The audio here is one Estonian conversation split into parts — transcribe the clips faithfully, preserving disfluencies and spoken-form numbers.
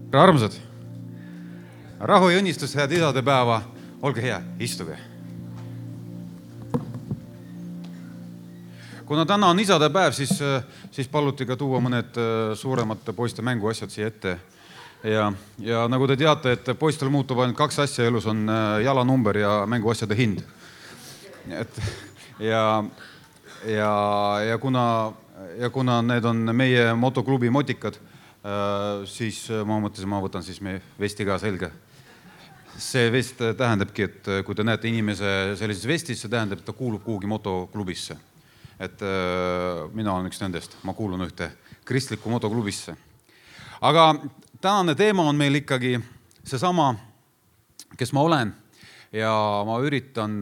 Armsad, rahu ja õnnistus, head isadepäeva, olge hea, istuge. Kuna täna on isadepäev, siis, siis paluti ka tuua mõned suuremate poiste mänguasjad siia ette. Ja, ja nagu te teate, et poistel muutub ainult kaks asja elus, on jalanumber ja mänguasjade hind. Et, ja, ja, ja, kuna, ja kuna need on meie motoklubi motikad, siis ma mõtlesin, ma võtan siis meie vesti ka selge. See vest tähendabki, et kui te näete inimese sellises vestis, see tähendab, et ta kuulub kuhugi motoklubisse. Et mina olen üks nendest, ma kuulun ühte kristlikku motoklubisse. Aga tänane teema on meil ikkagi seesama, kes ma olen, ja ma üritan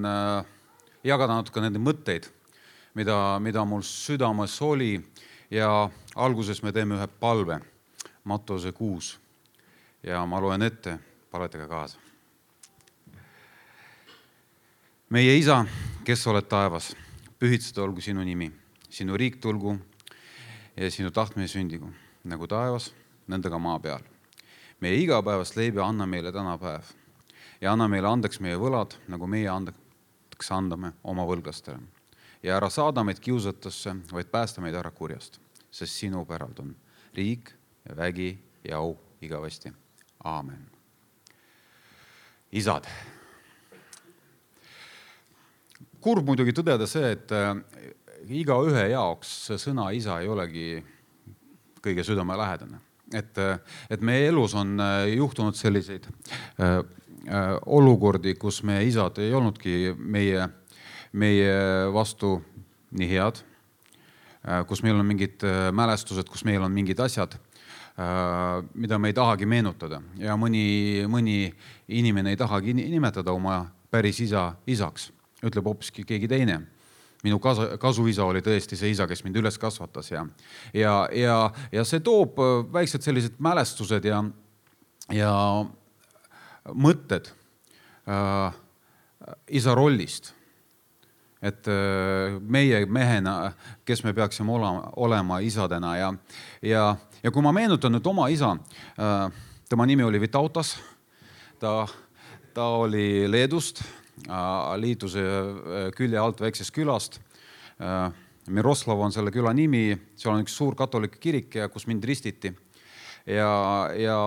jagada natuke nende mõtteid, mida, mida mul südames oli, ja alguses me teeme ühe palve. Mattuse kuus. Ja ma loen ette, paletega kaasa. Meie isa, kes oled taevas, pühitseda olgu sinu nimi, sinu riik tulgu ja sinu tahtmine sündigu, nagu taevas, nendega maa peal. Meie igapäevast leibi anna meile täna päev ja anna meile andeks meie võlad, nagu meie andeks andame oma võlglastele. Ja ära saada meid kiusatusse, vaid päästa meid ära kurjast, sest sinu päralt on riik, ja vägi ja au igavesti. Aamen. Isad. Kurb muidugi tõdeda see, et iga ühe jaoks see sõna isa ei olegi kõige südame lähedane. Et, et meie elus on juhtunud selliseid äh, äh, olukordi, kus meie isad ei olnudki meie, meie vastu nii head, äh, kus meil on mingid mälestused, kus meil on mingid asjad, mida me ei tahagi meenutada. Ja mõni, mõni inimene ei tahagi nimetada oma päris isa isaks. Ütleb hoopiski keegi teine. Minu kasu, kasuisa oli tõesti see isa, kes mind üles kasvatas. Ja, ja, ja, ja see toob väiksed sellised mälestused ja, ja mõtted äh, isa rollist. Et meie mehena, kes me peaksime olema, olema isadena. Ja, ja, ja kui ma meenutan nüüd oma isa, tema nimi oli Vitautas, ta, ta oli Leedust, liiduse külje alt väiksest külast. Miroslav on selle küla nimi, seal on üks suur katoliku kirik, kus mind ristiti. Ja, ja,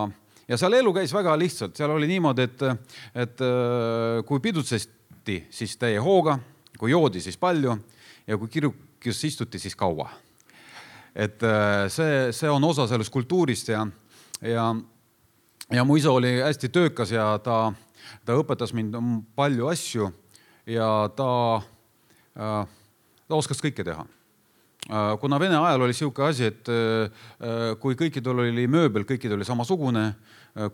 ja seal elu käis väga lihtsalt, seal oli niimoodi, et, et kui pidutsesti, siis täie hooga, kui joodi, siis palju, ja kui kirjukis istuti, siis kaua. Et see, see on osa sellest kultuurist ja, ja, ja mu isa oli hästi töökas ja ta, ta õpetas mind palju asju ja ta, ta oskas kõike teha. Kuna Vene ajal oli siuke asi, et kui kõikidel oli mööbel, kõikidel oli samasugune,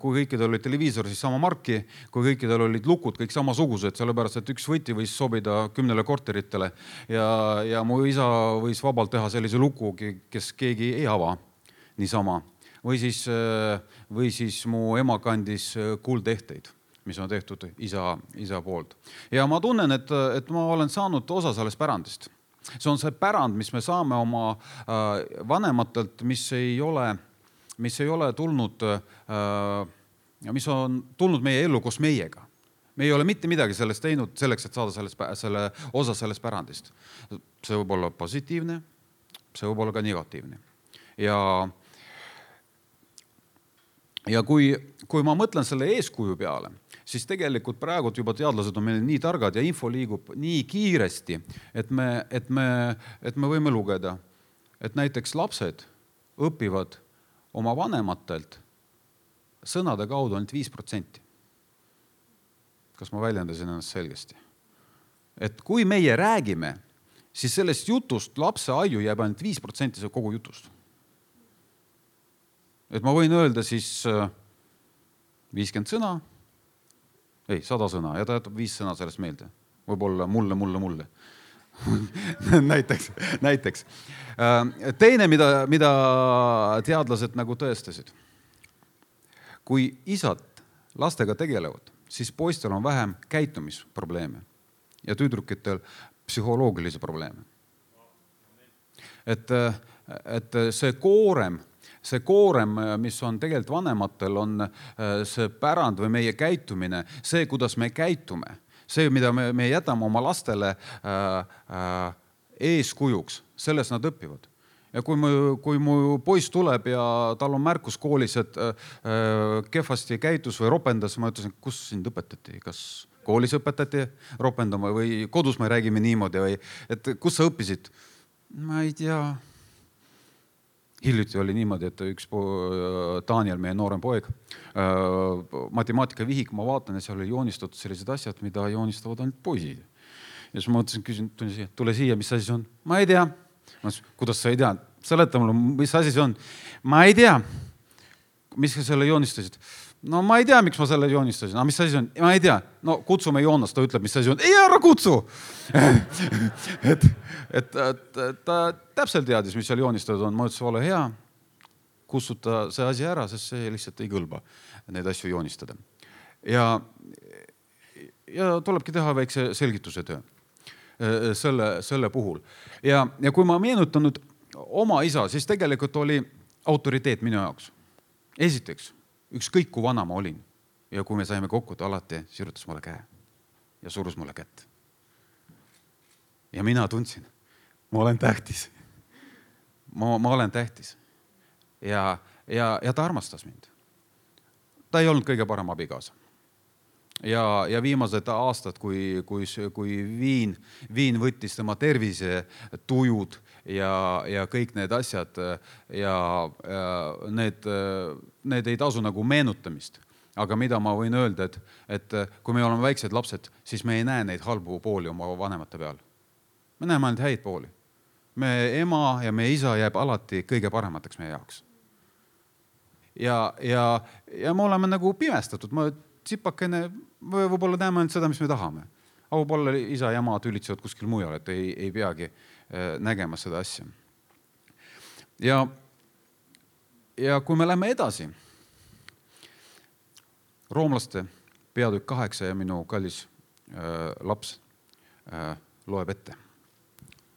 kui kõikidel oli televiisor, siis sama marki, kui kõikidel olid lukud, kõik samasugused, sellepärast, et üks võti võis sobida kümnele korteritele ja, ja mu isa võis vabalt teha sellise luku, kes keegi ei ava niisama. Või siis, või siis mu ema kandis kuuldehteid, mis on tehtud isa, isa poolt. Ja ma tunnen, et, et ma olen saanud osa sellest pärandist. See on see pärand, mis me saame oma äh, vanematelt, mis ei ole, mis ei ole tulnud, äh, mis on tulnud meie ellu koos meiega. Me ei ole mitte midagi sellest teinud selleks, et saada sellest, selle osa sellest pärandist. See võib olla positiivne, see võib olla ka negatiivne. Ja, ja kui, kui ma mõtlen selle eeskuju peale, siis tegelikult praegu juba teadlased on meil nii targad ja info liigub nii kiiresti, et me, et me, et me võime lugeda, et näiteks lapsed õpivad oma vanematelt sõnade kaudu ainult viis protsenti. Kas ma väljendasin ennast selgesti? Et kui meie räägime, siis sellest jutust lapse aju jääb ainult viis protsenti kogu jutust. Et ma võin öelda siis viiskümmend sõna, ei, sada sõna, ja ta jätab viis sõna sellest meelde. Võib-olla mulle, mulle, mulle. näiteks, näiteks. Teine, mida, mida teadlased nagu tõestasid. Kui isad lastega tegelevad, siis poistel on vähem käitumisprobleeme ja tüdrukitel psühholoogilisi probleeme. Et, et see koorem see koorem, mis on tegelikult vanematel, on see pärand või meie käitumine, see, kuidas me käitume, see, mida me, me jätame oma lastele äh, äh, eeskujuks, selles nad õpivad. Ja kui mu, kui mu poiss tuleb ja tal on märkus koolis, et äh, kehvasti käitus või ropendas, ma ütlesin, kus sind õpetati, kas koolis õpetati ropendama või kodus me räägime niimoodi või et kus sa õppisid? Ma ei tea. Hiljuti oli niimoodi, et üks po, Daniel, meie noorem poeg, matemaatika vihik, ma vaatan, et seal oli joonistatud sellised asjad, mida joonistavad ainult poisid. Ja siis ma mõtlesin, küsin, tule siia, mis asi see on? Ma ei tea. Ma ütlesin, kuidas sa ei tea? Seleta mulle, mis asi see on? Ma ei tea. Mis sa selle joonistasid? No ma ei tea, miks ma selle joonistasin. No, mis asi see on? Ma ei tea. No kutsume Joonas, ta ütleb, mis asi on. Ei, ära kutsu! et, et, et ta täpselt teadis, mis seal joonistatud on. Ma ütlesin, ole hea, kutsuta see asi ära, sest see lihtsalt ei kõlba neid asju joonistada. Ja, ja tulebki teha väikse selgituse töö selle, selle puhul. Ja, ja kui ma meenutan nüüd oma isa, siis tegelikult oli autoriteet minu jaoks. Esiteks, ükskõik kui vana ma olin ja kui me saime kokku, ta alati sirutas mulle käe ja surus mulle kätt. Ja mina tundsin, ma olen tähtis. Ma, ma olen tähtis. Ja, ja, ja ta armastas mind. Ta ei olnud kõige parem abikaasa. Ja, ja viimased aastad, kui, kui, kui viin, viin võttis tema tervise tujud ja, ja kõik need asjad ja, ja need, need ei tasu nagu meenutamist. Aga mida ma võin öelda, et, et kui me oleme väiksed lapsed, siis me ei näe neid halbu pooli oma vanemate peal. Me näeme ainult häid pooli. Me ema ja meie isa jääb alati kõige paremateks meie jaoks. Ja, ja, ja me oleme nagu pimestatud. Ma tsipakene, võib-olla näeme ainult seda, mis me tahame. Aga võib-olla isa ja ema tülitsevad kuskil mujal, et ei, ei peagi nägema seda asja. Ja, ja kui me läheme edasi, roomlaste peatükk kaheksa ja minu kallis äh, laps äh, loeb ette.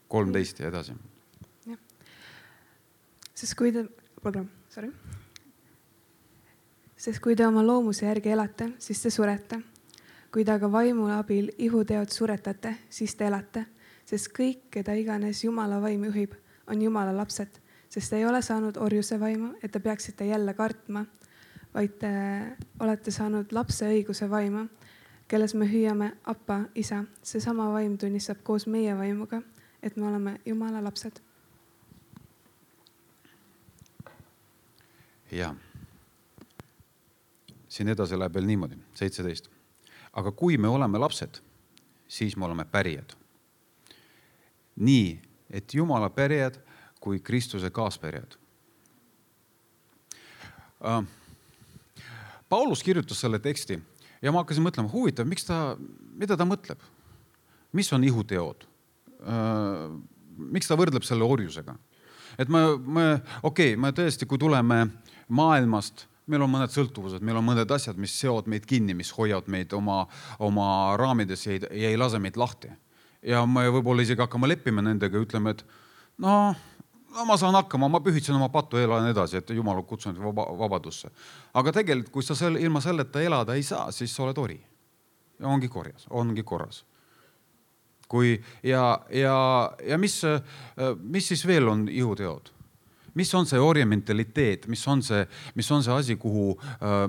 kolmteist ja edasi. Ja. Sest kui te, pardon, sorry. Sest kui te oma loomuse järgi elate, siis te surete. Kui te aga vaimu abil ihuteod suretate, siis te elate. Sest kõik, keda iganes Jumala vaim juhib, on Jumala lapsed. Sest te ei ole saanud orjuse vaimu, et te peaksite jälle kartma, vaid te olete saanud lapse õiguse vaima, kelles me hüüame Appa, isa. See sama vaim tunnistab koos meie vaimuga, et me oleme Jumala lapsed. Ja. Siin edasi läheb veel niimoodi, seitseteist. Aga kui me oleme lapsed, siis me oleme pärijad. Nii, et Jumala pärijad kui Kristuse kaaspärijad. Paulus kirjutas selle teksti ja ma hakkasin mõtlema, huvitav, miks ta, mida ta mõtleb? Mis on ihuteod? Miks ta võrdleb selle orjusega? Et me, me, okei, me tõesti, kui tuleme maailmast, meil on mõned sõltuvused, meil on mõned asjad, mis seovad meid kinni, mis hoiavad meid oma, oma raamides ja ei, ja ei lase meid lahti. Ja me võib-olla isegi hakkame leppima nendega ja ütleme, et no, no ma saan hakkama, ma pühitsen oma patu ja elan edasi, et Jumal on kutsunud vaba, vabadusse. Aga tegelikult, kui sa selle, ilma selleta elada ei saa, siis sa oled ori. Ja ongi korjas, ongi korras. Kui, ja, ja, ja mis, mis siis veel on ihuteod? Mis on see orje mentaliteet, mis on see, mis on see asi, kuhu,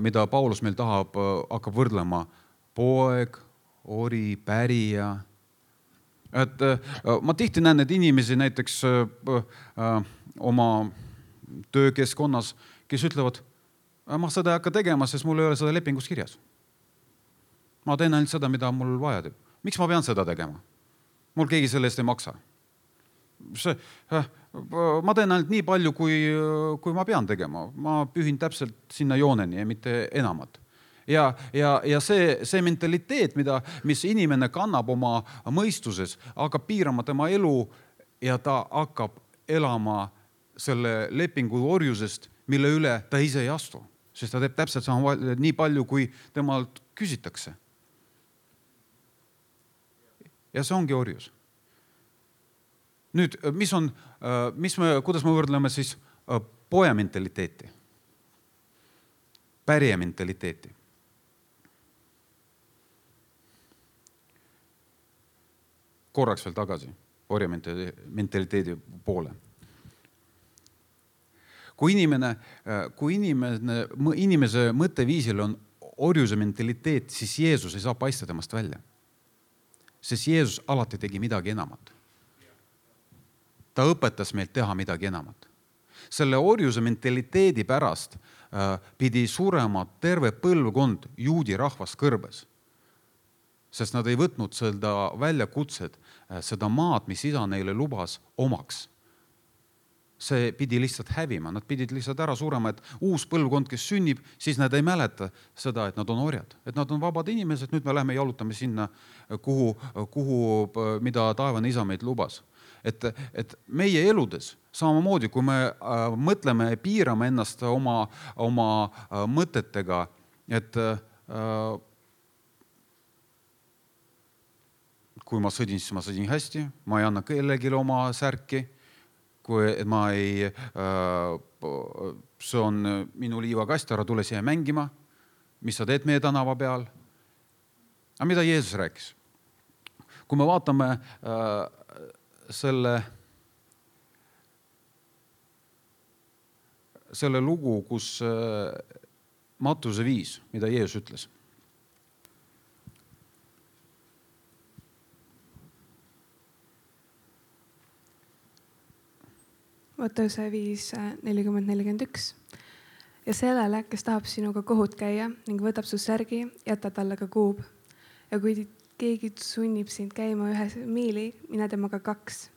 mida Paulus meil tahab, hakkab võrdlema? Poeg, ori, pärija. Et ma tihti näen need inimesi näiteks oma töökeskkonnas, kes ütlevad, ma seda ei hakka tegema, sest mul ei ole seda lepingus kirjas. Ma teen ainult seda, mida mul vaja teeb. Miks ma pean seda tegema? Mul keegi selle eest ei maksa. See, ma teen ainult nii palju, kui, kui ma pean tegema. Ma pühin täpselt sinna jooneni ja mitte enamat. Ja, ja, ja see, see mentaliteet, mida, mis inimene kannab oma mõistuses, hakkab piirama tema elu ja ta hakkab elama selle lepingu orjusest, mille üle ta ise ei astu. Sest ta teeb täpselt sama nii palju, kui temalt küsitakse. Ja see ongi orjus. Nüüd, mis on, mis me, kuidas me võrdleme siis poja mentaliteeti, pärija mentaliteeti. Korraks veel tagasi orja mentaliteedi poole. Kui inimene, kui inimene, inimese mõtteviisil on orjuse mentaliteet, siis Jeesus ei saa paista temast välja. Sest Jeesus alati tegi midagi enamat. Ta õpetas meilt teha midagi enamat. Selle orjuse mentaliteedi pärast äh, pidi surema terve põlvkond juudi rahvast kõrbes. Sest nad ei võtnud seda väljakutsed, äh, seda maad, mis isa neile lubas omaks. See pidi lihtsalt hävima, nad pidid lihtsalt ära surema, et uus põlvkond, kes sünnib, siis nad ei mäleta seda, et nad on orjad. Et nad on vabad inimesed, nüüd me läheme jalutame sinna, kuhu, kuhu, mida taevane isa meid lubas. Et, et meie eludes, samamoodi kui me äh, mõtleme ja piirame ennast oma, oma äh, mõtetega, et äh, kui ma sõdin, siis ma sõdin hästi, ma ei anna kellelegi oma särki, kui ma ei, see on minu liivakast, ära tule siia mängima, mis sa teed meie tänava peal. Aga mida Jeesus rääkis? Kui me vaatame selle, selle lugu, kus Mattuse viis, mida Jeesus ütles. Mattuse viis nelikümmend nelikümmend üks. Ja sellele, kes tahab sinuga kohut käia ning võtab su särgi, jätta talle ka kuub. Ja kui keegi sunnib sind käima ühe miili, mine temaga kaks.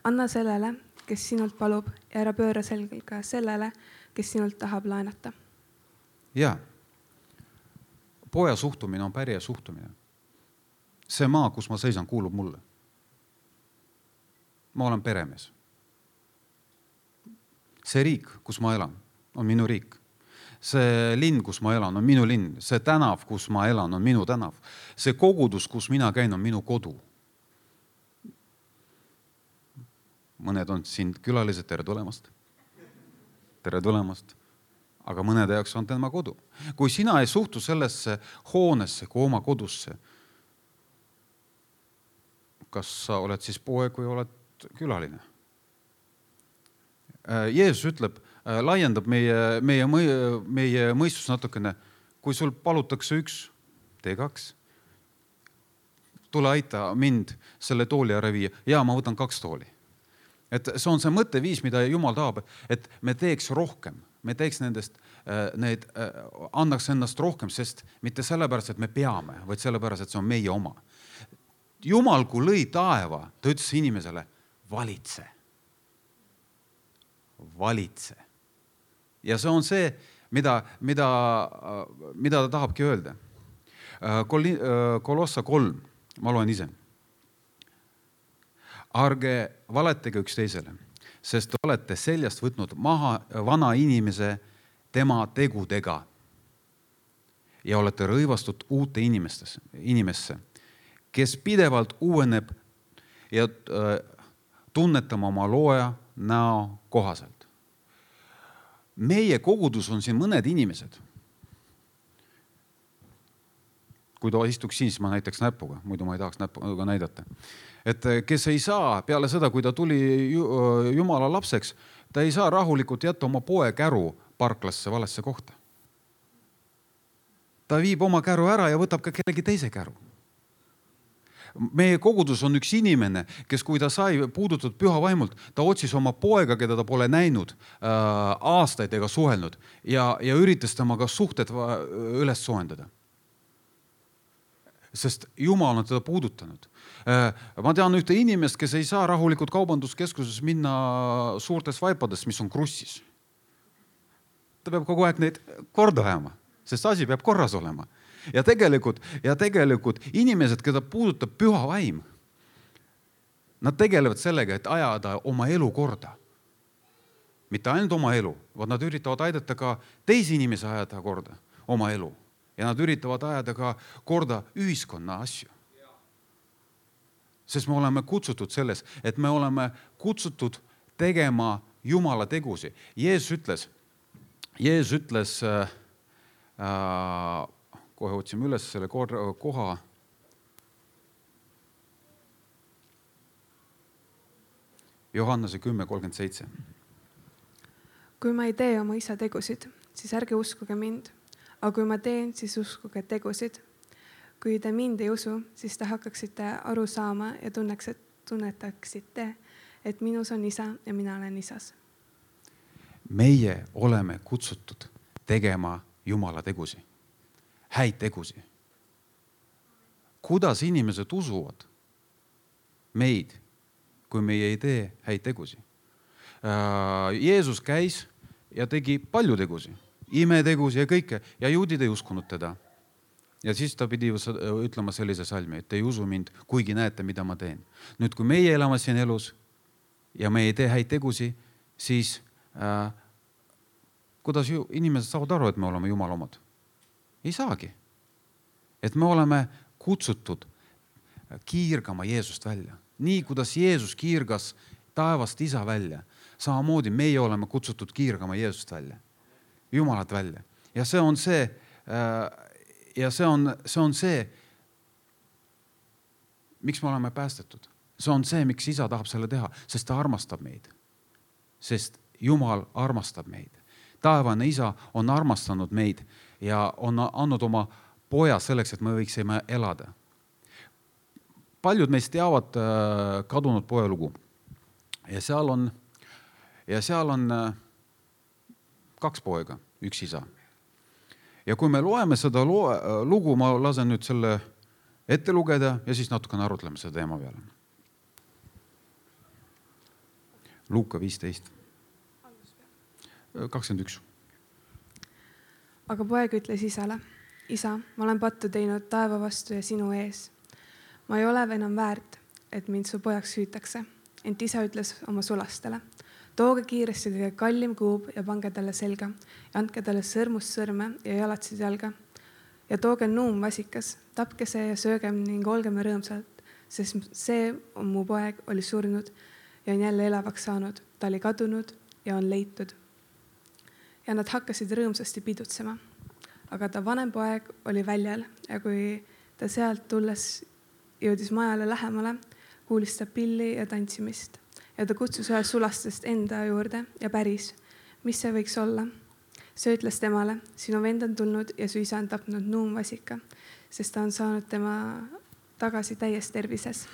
Anna sellele, kes sinult palub ja ära pööra selga sellele, kes sinult tahab laenata. Ja, poja suhtumine on pärija suhtumine. See maa, kus ma seisan, kuulub mulle. Ma olen peremees. See riik, kus ma elan, on minu riik. See linn, kus ma elan, on minu linn. See tänav, kus ma elan, on minu tänav. See kogudus, kus mina käin, on minu kodu. Mõned on siin külalised, tere tulemast. Tere tulemast. Aga mõnede jaoks on tema kodu. Kui sina ei suhtu sellesse hoonesse kui oma kodusse, kas sa oled siis poeg või oled külaline? Jeesus ütleb, laiendab meie, meie, meie mõistus natukene, kui sul palutakse üks, tee kaks. Tule aita mind selle tooli ära viia. Ja ma võtan kaks tooli. Et see on see mõtteviis, mida Jumal tahab, et me teeks rohkem. Me teeks nendest, need, annaks ennast rohkem, sest mitte sellepärast, et me peame, vaid sellepärast, et see on meie oma. Jumal, kui lõi taeva, ta ütles inimesele, valitse. Valitse. Ja see on see, mida, mida, mida ta tahabki öelda. Kolossa kolm, ma loen ise. Arge valetage üks teisele, sest te olete seljast võtnud maha vana inimese tema tegudega ja olete rõivastud uute inimesse, kes pidevalt uueneb ja tunnetama oma looja näo kohaselt. Meie kogudus on siin mõned inimesed. Kui ta istuks siin, siis ma näitaks näpuga, muidu ma ei tahaks näpuga näidata. Et kes ei saa peale seda, kui ta tuli Jumala lapseks, ta ei saa rahulikult jätta oma poe käru parklasse valesse kohta. Ta viib oma käru ära ja võtab ka kellegi teise käru. Meie kogudus on üks inimene, kes kui ta sai puudutud püha vaimult, ta otsis oma poega, keda ta pole näinud äh, aastaid ega suhelnud ja, ja üritas temaga suhted üles soendada. Sest Jumal on teda puudutanud. Äh, ma tean ühte inimest, kes ei saa rahulikult kaubanduskeskuses minna suurtes vaipades, mis on krussis. Ta peab kogu aeg neid korda ajama, sest asi peab korras olema. Ja tegelikult, ja tegelikult inimesed, keda puudutab püha vaim, nad tegelevad sellega, et ajada oma elu korda. Mitte ainult oma elu, vaid nad üritavad aidata ka teisi inimesi ajada korda oma elu. Ja nad üritavad ajada ka korda ühiskonna asju. Sest me oleme kutsutud selles, et me oleme kutsutud tegema Jumala tegusi. Jeesus ütles, Jeesus ütles, äh, äh, kohe otsime üles selle koha, Johannese kümme kolmkümmend seitse. Kui ma ei tee oma isa tegusid, siis ärge uskuge mind. Aga kui ma teen, siis uskuge tegusid. Kui te mind ei usu, siis te hakkaksite aru saama ja tunneks, tunnetaksite, et minus on isa ja mina olen isas. Meie oleme kutsutud tegema Jumala tegusi, häid tegusi. Kuidas inimesed usuvad meid, kui meie ei tee häid tegusi? Jeesus käis ja tegi palju tegusi, imetegusi ja kõike, ja juudid ei uskunud teda. Ja siis ta pidi ütlema sellise salmi, et ei usu mind, kuigi näete, mida ma teen. Nüüd, kui meie elame siin elus ja me ei tee häid tegusi, siis äh, kuidas ju inimesed saavad aru, et me oleme Jumala omad? Ei saagi. Et me oleme kutsutud kiirgama Jeesust välja. Nii, kuidas Jeesus kiirgas taevast isa välja, samamoodi meie oleme kutsutud kiirgama Jeesust välja, Jumalat välja. Ja see on see, ja see on, see on see, miks me oleme päästetud. See on see, miks isa tahab selle teha, sest ta armastab meid. Sest Jumal armastab meid. Taevane isa on armastanud meid ja on andnud oma poja selleks, et me võiksime elada. Paljud meist teavad kadunud poja lugu. Ja seal on, ja seal on kaks poega, üks isa. Ja kui me loeme seda lugu, ma lasen nüüd selle ette lugeda ja siis natuke arutleme seda teema peale. Luuka viisteist. kakskümmend üks. Aga poeg ütles isale, isa, ma olen pattu teinud taeva vastu ja sinu ees. Ma ei ole enam väärt, et mind su pojaks hüütakse. Ent isa ütles oma sulastele, tooge kiiresti kõige kallim kuub ja pange talle selga ja andke talle sõrmust sõrme ja jalatsid jalga. Ja tooge nuum vasikas, tapke see ja söögem ning olgeme rõõmsalt, sest see on mu poeg oli surnud ja on jälle elavaks saanud. Ta oli kadunud ja on leitud. Ja nad hakkasid rõõmsasti pidutsema. Aga ta vanem poeg oli väljal ja kui ta sealt tulles jõudis majale lähemale, kuulis ta pilli ja tantsimist. Ja ta kutsus ühe sulastest enda juurde ja päris, mis see võiks olla. See ütles temale, sinu vend on tulnud ja su isa on tapnud nuumvasika, sest ta on saanud tema tagasi täies tervises.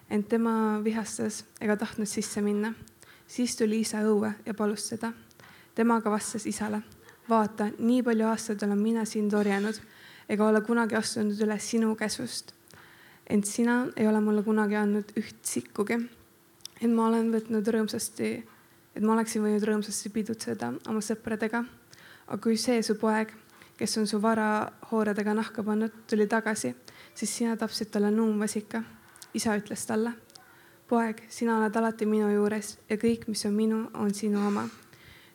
Ent tema vihastas ega tahtnud sisse minna. Siis tuli isa õue ja palus seda. Temaga vastas isale, vaata, nii palju aastaid olen mina siin torjanud ega ole kunagi astunud üle sinu käsust. Ent sina ei ole mulle kunagi andnud üht sikkugi. Et ma olen võtnud rõõmsasti, et ma oleksin võinud rõõmsasti pidutseda oma sõpradega. Aga kui see su poeg, kes on su vara hooredega nahka pannud, tuli tagasi, siis sina tapsid talle nuumvasika. Isa ütles talle, poeg, sina oled alati minu juures ja kõik, mis on minu, on sinu oma.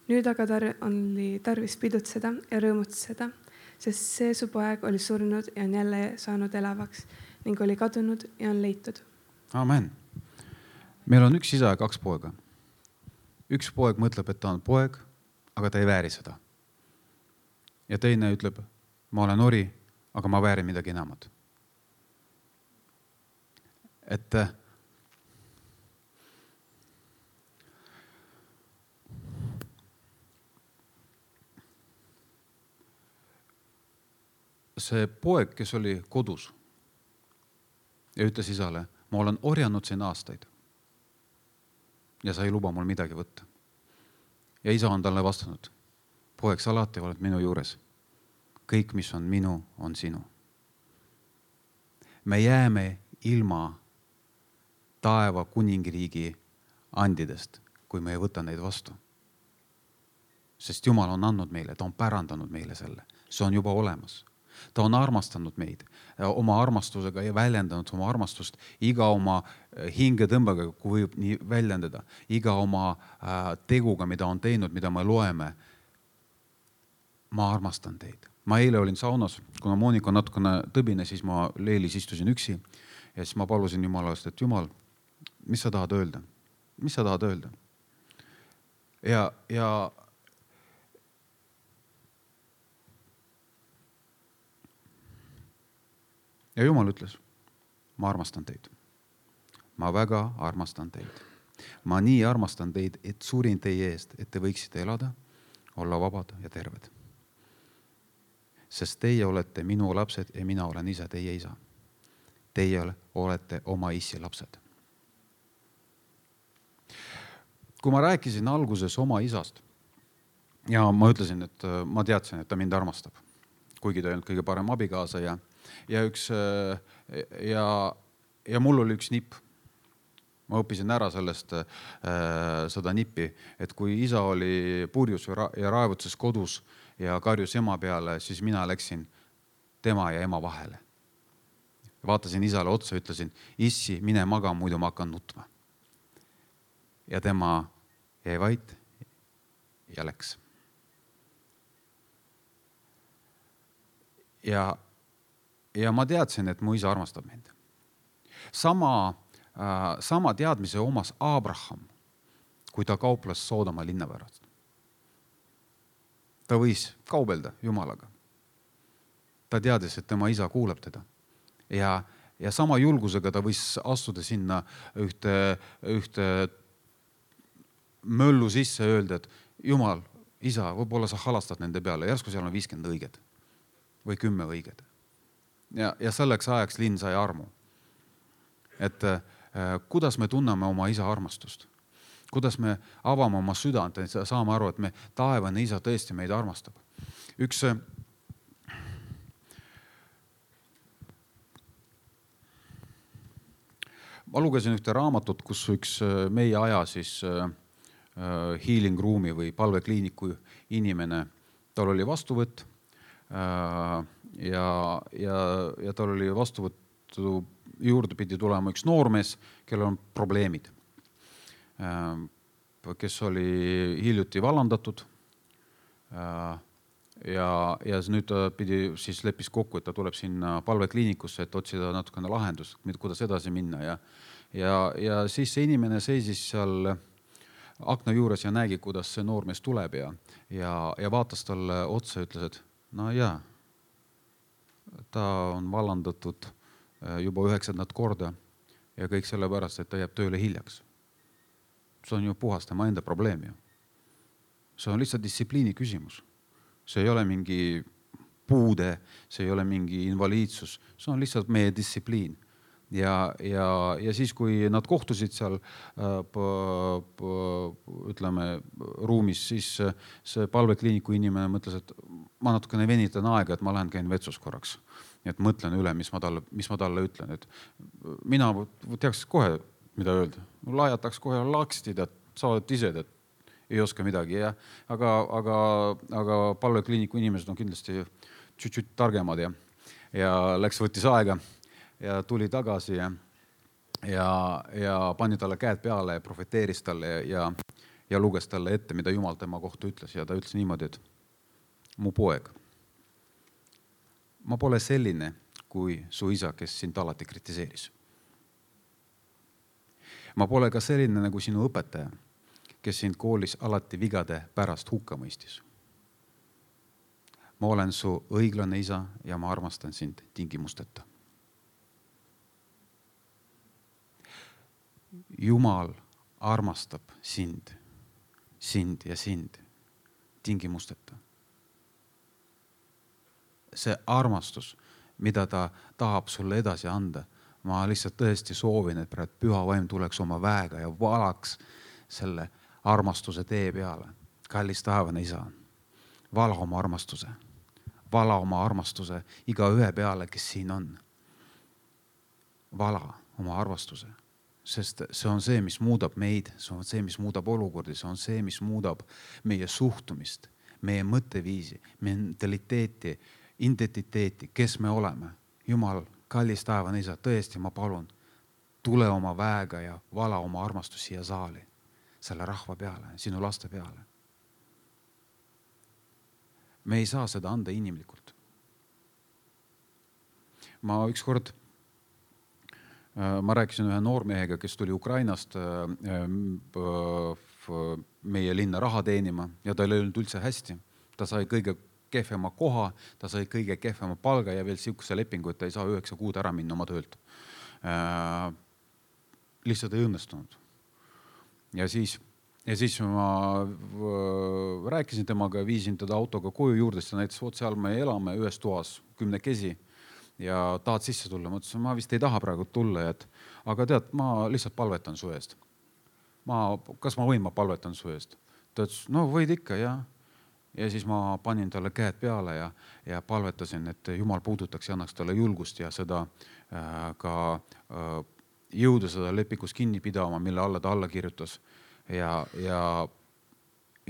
Nüüd aga tar- oli tarvis pidutseda ja rõõmutseda, sest see su poeg oli surnud ja on jälle saanud elavaks ning oli kadunud ja on leitud. Amen. Meil on üks isa ja kaks poega. Üks poeg mõtleb, et ta on poeg, aga ta ei vääri seda. Ja teine ütleb, ma olen ori, aga ma väärin midagi enamat. Et see poeg, kes oli kodus ja ütles isale, ma olen orjanud siin aastaid ja sa ei luba mul midagi võtta. Ja isa on talle vastanud, poeg, sa alati oled minu juures. Kõik, mis on minu, on sinu. Me jääme ilma taeva kuningriigi andidest, kui me ei võta neid vastu. Sest Jumal on andnud meile, ta on pärandanud meile selle. See on juba olemas. Ta on armastanud meid oma armastusega ja väljendanud oma armastust iga oma hingetõmbega, kui võib nii väljendada, iga oma teguga, mida on teinud, mida me loeme. Ma armastan teid. Ma eile olin saunas, kuna Monika natukene tõbine, siis ma Leelis istusin üksi ja siis ma palusin Jumalast, et Jumal, mis sa tahad öelda? Mis sa tahad öelda? ja, ja ja Jumal ütles, ma armastan teid. Ma väga armastan teid. Ma nii armastan teid, et surin teie eest, et te võiksite elada, olla vabad ja terved. Sest teie olete minu lapsed ja mina olen ise teie isa. Teie olete oma issi lapsed. Kui ma rääkisin alguses oma isast ja ma ütlesin, et ma teadsin, et ta mind armastab, kuigi ta ei olnud kõige parem abikaasa ja, ja, üks, ja, ja mul oli üks nipp. Ma õppisin ära sellest äh, seda nippi, et kui isa oli purjus ja raevutses kodus ja karjus ema peale, siis mina läksin tema ja ema vahele. Vaatasin isale otsa, ütlesin, issi, mine maga, muidu ma hakkan nutma. Ja tema jäi vait ja läks. Ja, ja ma teadsin, et mu isa armastab mind. Sama sama teadmise omas Abraham, kui ta kauples Soodoma linna pärast. Ta võis kaubelda Jumalaga. Ta teadis, et tema isa kuulab teda. Ja, ja sama julgusega ta võis astuda sinna ühte, ühte möllu sisse ja öelda, et Jumal, isa, võib-olla sa halastad nende peale. Järsku seal on viiskümmend õiged või kümme õiged. Ja, ja selleks ajaks linn sai armu. Et kuidas me tunneme oma isa armastust, kuidas me avame oma südant, et saame aru, et me taevane isa tõesti meid armastab. Üks ma lugesin ühte raamatut, kus üks meie aja siis healing room'i või palvekliiniku inimene, tal oli vastuvõtt ja, ja, ja tal oli vastuvõttu juurde pidi tulema üks noormees, kellel on probleemid, kes oli hiljuti vallandatud ja, ja nüüd ta pidi siis leppis kokku, et ta tuleb sinna palvekliinikusse, et otsida natukene lahendust, kuidas edasi minna ja, ja, ja siis see inimene seisis seal akna juures ja nägi, kuidas see noormees tuleb ja, ja, ja vaatas talle otsa ja ütles, et no jaa, ta on vallandatud juba üheksandat korda ja kõik selle pärast, et ta jääb tööle hiljaks. See on ju puhas tema enda probleem. Ju. See on lihtsalt distsipliini küsimus. See ei ole mingi puude, see ei ole mingi invaliidsus, see on lihtsalt meie distsipliin. Ja, ja, ja siis, kui nad kohtusid seal p, p, ütleme, ruumis, siis see palvekliiniku inimene mõtles, et ma natukene venitan aega, et ma lähen käin vetsus korraks. Et mõtlen üle, mis ma talle, mis ma talle ütlen. Et mina teaks kohe, mida öelda. Laiataks kohe lakstid, et sa oled ise, et ei oska midagi. Ja, aga, aga, aga palvekliiniku inimesed on kindlasti tšüt-tšüt targemad ja, ja läks võttis aega ja tuli tagasi ja, ja, ja pani talle käed peale ja profeteeris talle ja, ja luges talle ette, mida Jumal tema kohta ütles. Ja ta ütles niimoodi, et mu poeg, ma pole selline kui su isa, kes sind alati kritiseeris. Ma pole ka selline nagu sinu õpetaja, kes sind koolis alati vigade pärast hukka mõistis. Ma olen su õiglane isa ja ma armastan sind tingimusteta. Jumal armastab sind, sind ja sind tingimusteta. See armastus, mida ta tahab sulle edasi anda, ma lihtsalt tõesti soovin, et praegu püha vaim tuleks oma väega ja valaks selle armastuse tee peale. Kallis taevane isa, vala oma armastuse, vala oma armastuse iga ühe peale, kes siin on. Vala oma armastuse. Sest see on see, mis muudab meid, see on see, mis muudab olukordi, see on see, mis muudab meie suhtumist, meie mõtteviisi, mentaliteeti, identiteeti, kes me oleme. Jumal, kallis taevane isa, tõesti ma palun, tule oma väega ja vala oma armastus siia saali, selle rahva peale, sinu laste peale. Me ei saa seda anda inimlikult. Ma ükskord Ma rääkisin ühe noormehega, kes tuli Ukrainast meie linna raha teenima ja tal ei olnud üldse hästi. Ta sai kõige kehvema koha, ta sai kõige kehvema palga ja veel siukse lepingu, et ta ei saa üheksa kuud ära minna oma töölt. Äh, lihtsalt ei õnnestunud. Ja siis, ja siis ma rääkisin temaga ja viisin teda autoga koju juurde, sest näiteks oot seal me elame ühes toas kümnekesi ja tahad sisse tulla. Ma ütlesin, ma vist ei taha praegu tulla, et, aga tead, ma lihtsalt palvetan su eest. Ma, kas ma võin, ma palvetan su eest? Ta ütles, no võid ikka, jah. Ja siis ma panin talle käed peale ja, ja palvetasin, et Jumal puudutaks ja annaks talle julgust ja seda äh, ka äh, jõuda seda lepikus kinni pidama, mille alla ta alla kirjutas. Ja, ja,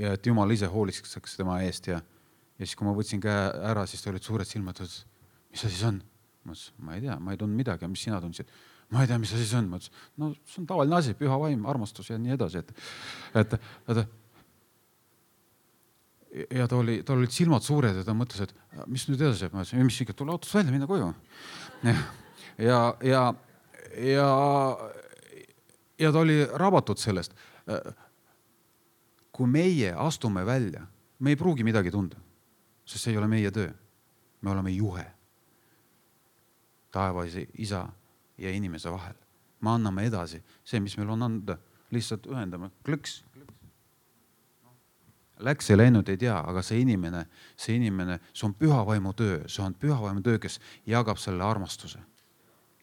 ja et Jumal ise hoolitseks tema eest. Ja, ja siis, kui ma võtsin käe ära, siis ta olid suured silmad. Mis see siis on? Ma ütlesin, ma ei tea, ma ei tundnud midagi. Mis sina tundsid? Ma ei tea, mis see siis on. Ma ütlesin, no see on tavaline asi, püha vaim, armastus ja nii edasi. Et, et, et, ja ta oli, ta olid silmad suured ja ta mõtles, et mis nüüd edasi? Ma ütlesin, mis ikka, tule autost välja, minna koju. Ja, ja, ja, ja, ja ta oli rabatud sellest. Kui meie astume välja, me ei pruugi midagi tunda, sest see ei ole meie töö. Me oleme juhe. Taevas isa ja inimese vahel. Me anname edasi see, mis meil on anda. Lihtsalt ühendame. Klõks. Läks ja läinud ei tea, aga see inimene, see inimene, see on püha vaimu töö. See on püha vaimu töö, kes jagab selle armastuse.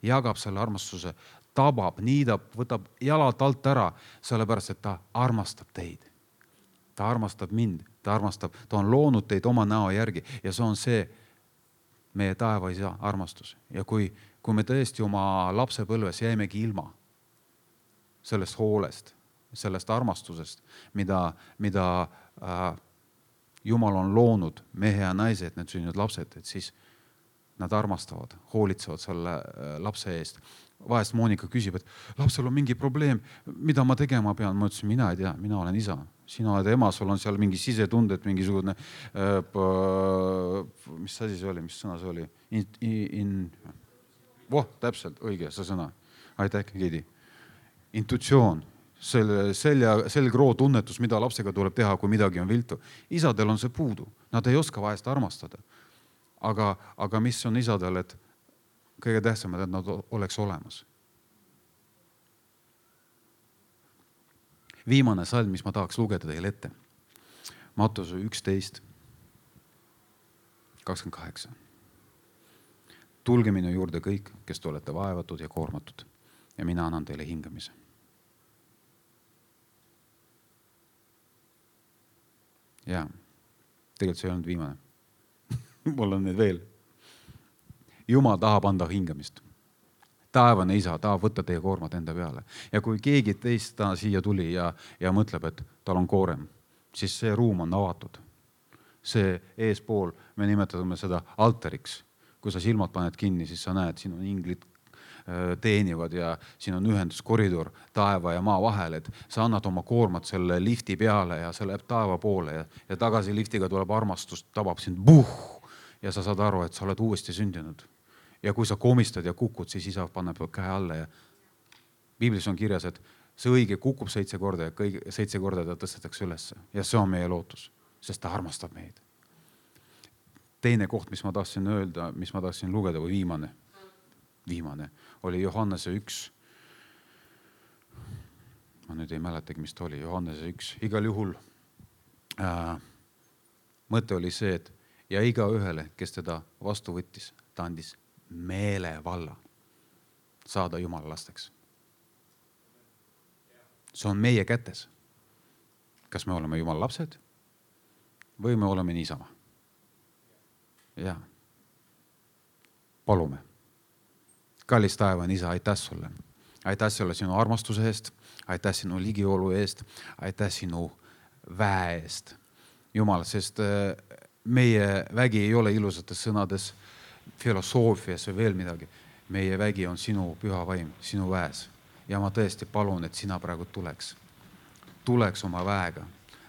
Jagab selle armastuse, tabab, niidab, võtab jalad alt ära, sellepärast, et ta armastab teid. Ta armastab mind, ta armastab, ta on loonud teid oma näo järgi ja see on see meie taevaisa armastus. Ja kui, kui me tõesti oma lapsepõlves jäimegi ilma sellest hoolest, sellest armastusest, mida, mida äh, Jumal on loonud mehe ja naise, et need sünnivad lapsed, et siis nad armastavad, hoolitsevad selle äh, lapse eest. Vahest Moonika küsib, et lapsel on mingi probleem, mida ma tegema pean. Ma ütlesin, mina ei tea, mina olen isa. Sina oled ema, sul on seal mingi sisetundet, mingisugune, äh, mis asi see oli, mis sõna see oli? In, in, voh, täpselt, õige see sõna. Aitäh, Kidi. Intuitsioon, selle selja, selgroo tunnetus, mida lapsega tuleb teha, kui midagi on viltu. Isadel on see puudu. Nad ei oska vahest armastada. Aga, aga mis on isadel, et kõige tähtsamad, et nad oleks olemas. Viimane salm, mis ma tahaks lugeda teile ette. Mattuse üksteist kakskümmend kaheksa. Tulge minu juurde kõik, kes te olete vaevatud ja koormatud ja mina annan teile hingamise. Ja, tegelikult see ei olnud viimane. Mul on need veel. Jumal tahab anda hingamist. Taevane isa tahab võtta teie koormat enda peale. Ja kui keegi teist ta siia tuli ja, ja mõtleb, et tal on koorem, siis see ruum on avatud. See eespool, me nimetame seda altariks. Kui sa silmad paned kinni, siis sa näed, siin on inglid teenivad ja siin on ühenduskoridor taeva ja maa vahel, et sa annad oma koormat selle lifti peale ja see läheb taeva poole ja, ja tagasi liftiga tuleb armastust, tabab sind buh ja sa saad aru, et sa oled uuesti sündinud. Ja kui sa komistad ja kukud, siis isa paneb käe alla ja Piiblis on kirjas, et see õige kukub seitse korda ja kõige, seitse korda ta tõstetakse ülesse ja see on meie lootus, sest ta armastab meid. Teine koht, mis ma tahtsin öelda, mis ma tahtsin lugeda või viimane, viimane oli Johannese üks. Ma nüüd ei mäletagi, mis ta oli. Johannese üks. Igal juhul äh, mõte oli see, et ja iga ühele, kes teda vastu võttis, ta andis meelevalla saada Jumala lasteks. See on meie kätes. Kas me oleme Jumala lapsed või me oleme niisama? Ja. Palume. Kallis taevane isa, aitäh sulle. Aitäh sulle sinu armastuse eest, aitäh sinu ligiolu eest, aitäh sinu väe eest. Jumal, sest meie vägi ei ole ilusates sõnades, filosoofias või veel midagi. Meie vägi on sinu püha vaim, sinu väes. Ja ma tõesti palun, et sina praegu tuleks. Tuleks oma väega,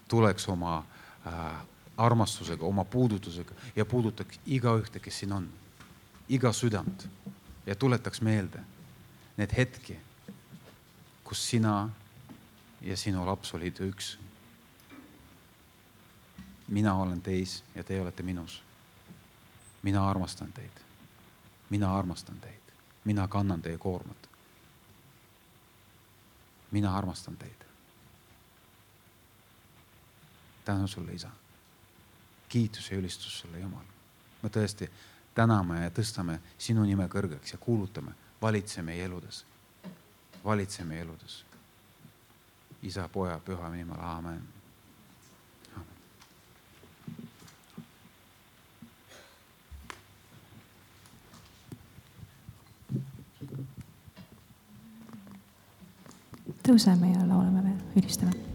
tuleks oma äh, armastusega, oma puudutusega ja puudutaks iga ühte, kes siin on. Iga südant. Ja tuletaks meelde need hetki, kus sina ja sinu laps olid üks. mina olen teis ja te olete minus. mina armastan teid. mina armastan teid. mina kannan teie koormat. mina armastan teid. tänu sulle, Isa. kiitus ja ülistus sulle, Jumal. me tõesti täname ja tõstame sinu nime kõrgeks ja kuulutame, valitse meie eludes. valitse meie eludes. Isa, Poja, Püha nimal, aamen. Tõuseme ja laulame veel, ülistame.